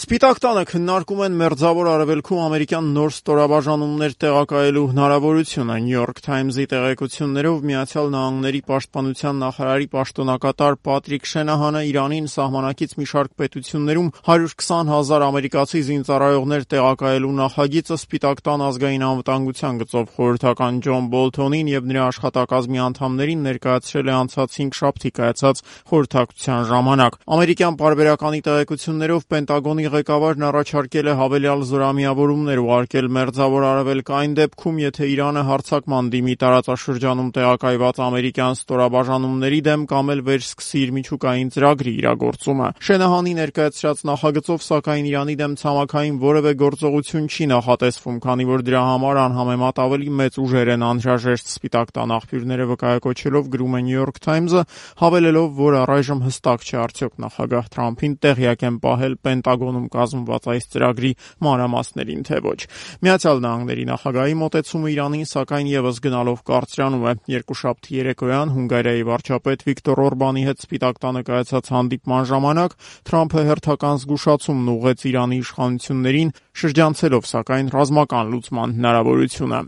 Սպիտակ տանը քննարկում են Մերձավոր Արևելքում ամերիկյան նոր ստորաբաժանումներ տեղակայելու հնարավորությունը։ New York Times-ի տեղեկություններով Միացյալ Նահանգների պաշտպանության նախարարի պաշտոնակատար Պատրիկ Շենահանը Իրանին սահմանակից մի շարք պետություններում 120,000 ամերիկացի զինծառայողներ տեղակայելու նախագիծը Սպիտակ տան ազգային անվտանգության գծով խորհրդական Ջոն Բոլթոնին եւ նրա աշխատակազմի անդամներին ներկայացրել է անցած 5 շաբթի կայացած խորհրդակցության ժամանակ։ Ամերիկյան պարբերականի տեղեկություններով Պենտագոնի ղեկավարն առաջարկել է հավելյալ զորամիավորումներ ուղարկել Մերձավոր Արևելք այն դեպքում, եթե Իրանը հարձակման դիմի տարածաշրջանում տեղակայված ամերիկյան ստորաբաժանումների դեմ կամ էլ վերսկսի իր միջուկային ծրագրի իրագործումը։ Շենահանի ներկայացրած նախագծով, սակայն Իրանի դեմ ցամաքային որևէ գործողություն չի նախատեսվում, քանի որ դրա համար անհամեմատ ավելի մեծ ուժեր են անհրաժեշտ, Սպիտակ տան աղբյուրները վկայակոչելով գրում է New York Times-ը, հավելելով, որ առայժմ հստակ չէ արդյոք նախագահ Թրամփին տեղյակ են պահել Պենտագոնում կազմված այս ծրագրի մանրամասներին, թե ոչ։ Միացյալ Նահանգների նախագահի մոտեցումը Իրանին, սակայն եւս գնալով կարծրանում է։ Երկուշաբթի երեկոյան Հունգարիայի վարչապետ Վիկտոր Օրբանի հետ Սպիտակ տանը կայացած հանդիպման ժամանակ Թրամփը հերթական զգուշացումն ուղղեց Իրանի իշխանություններին, շրջանցելով սակայն ռազմական լուծման հնարավորությունը։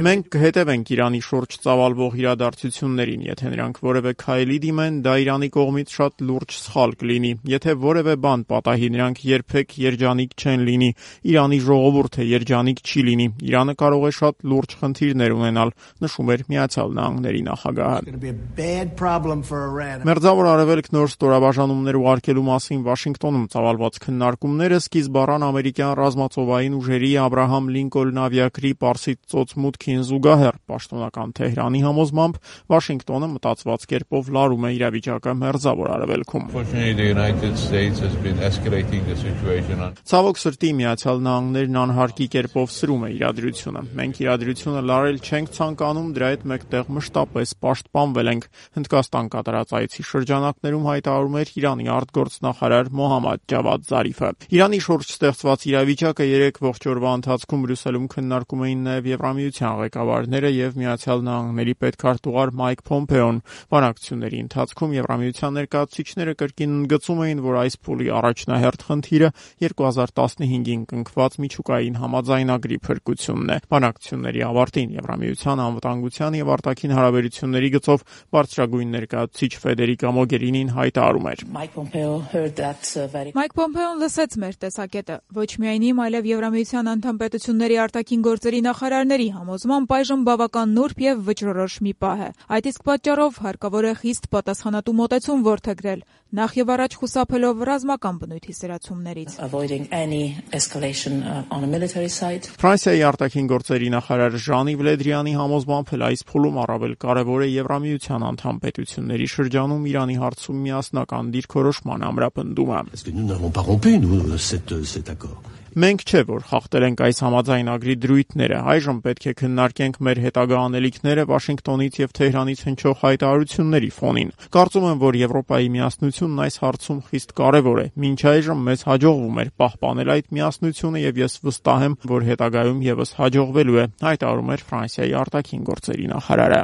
Մենք կհետևենք Իրանի շուրջ ծավալվող իրադարձություններին, եթե նրանք որևէ քայլի դիմեն, դա Իրանի կողմից շատ լուրջ սխալ կլինի։ Եթե որևէ բան պատահի, նրանք երբեք երջանիկ չեն լինի։ Իրանի ժողովուրդը երջանիկ չի լինի։ Իրանը կարող է շատ լուրջ խնդիրներ ունենալ, նշում էր Միացյալ Նահանգների նախագահը։ Մերձավոր Արևելք նոր ստորաբաժանումներ ուղարկելու մասին Վաշինգտոնում ծավալված քննարկումները սկիզբ առան ամերիկյան ռազմածովային ուժերի Աբրահամ Լինկոլն ավիակրի Պարսից ծոց մուտքին զուգահեռ։ Պաշտոնական Թեհրանի համոզմամբ Վաշինգտոնը մտածված կերպով լարում է իրավիճակը Մերձավոր Արևելքում։ Ցավոք սրտի Միացյալ Նահանգներն անհարկի կերպով սրում է իրադրությունը։ Մենք իրադրությունը լարել չենք ցանկանում, դրա հետ մեկտեղ մշտապես պաշտպանվել ենք, Հնդկաստան կատարած այցի շրջանակներում հայտարարում էր Իրանի արտգործնախարար Մոհամմադ Ջավադ Զարիֆը։ Իրանի շուրջ ստեղծված իրավիճակը 3 ողջ օրվա ընթացքում Բրյուսելում քննարկում էին նաև Եվրամիության ղեկավարները եւ Միացյալ Նահանգների պետքարտուղար Մայք Փոմպեոն։ Բանակցությունների ընթացքում Եվրամիության ներկայացուցիչները կրկին ընդգծում էին, որ այս փուլի առաջնահերթ խնդիրը 2015-ին կնքված միջուկային համաձայնագրի փրկությունն է։ Բանակցությունների ավարտին Եվրամիության անվտանգության եւ արտաքին հարաբերությունների գծով բարձրագույն ներկայացուցիչ Ֆեդերիկա Մոգերինին հայտարարում էր. Մայք Փոմպեոն լսեց մեր տեսակետը, ոչ միայն իմ, այլև Եվրամիության անդամ պետությունների արտաքին գործերի նախարարների համոզմամբ այժմ բավական նուրբ եւ վճռորոշ մի պահ է։ Այդ իսկ պատճառով հարկավոր է խիստ պատասխանատու մոտեցում որդեգրել, նախ եւ առաջ խուսափելով ռազմական բնույթի սրացումներից։ Ֆրանսիայի արտաքին գործերի նախարար Ժան-Իվ Լե Դրիանի համոզմամբ էլ այս փուլում առավել կարևոր է Եվրամիության անդամ պետությունների շրջանում Իրանի հարցում միասնական դիրքորոշման ամրապնդումը։ Մենք չէ, որ խախտել ենք այս համաձայնագրի դրույթները, այժմ պետք է քննարկենք մեր հետագա անելիքները Վաշինգտոնից եւ Թեհրանից հնչող հայտարարությունների ֆոնին։ Կարծում եմ, որ Եվրոպայի միասնությունն այս հարցում խիստ կարևոր է։ Մինչ այժմ մեզ հաջողվում էր պահպանել այդ միասնությունը եւ ես վստահ եմ, որ հետագայում եւս հաջողվելու է, հայտարարում էր Ֆրանսիայի արտաքին գործերի նախարարը։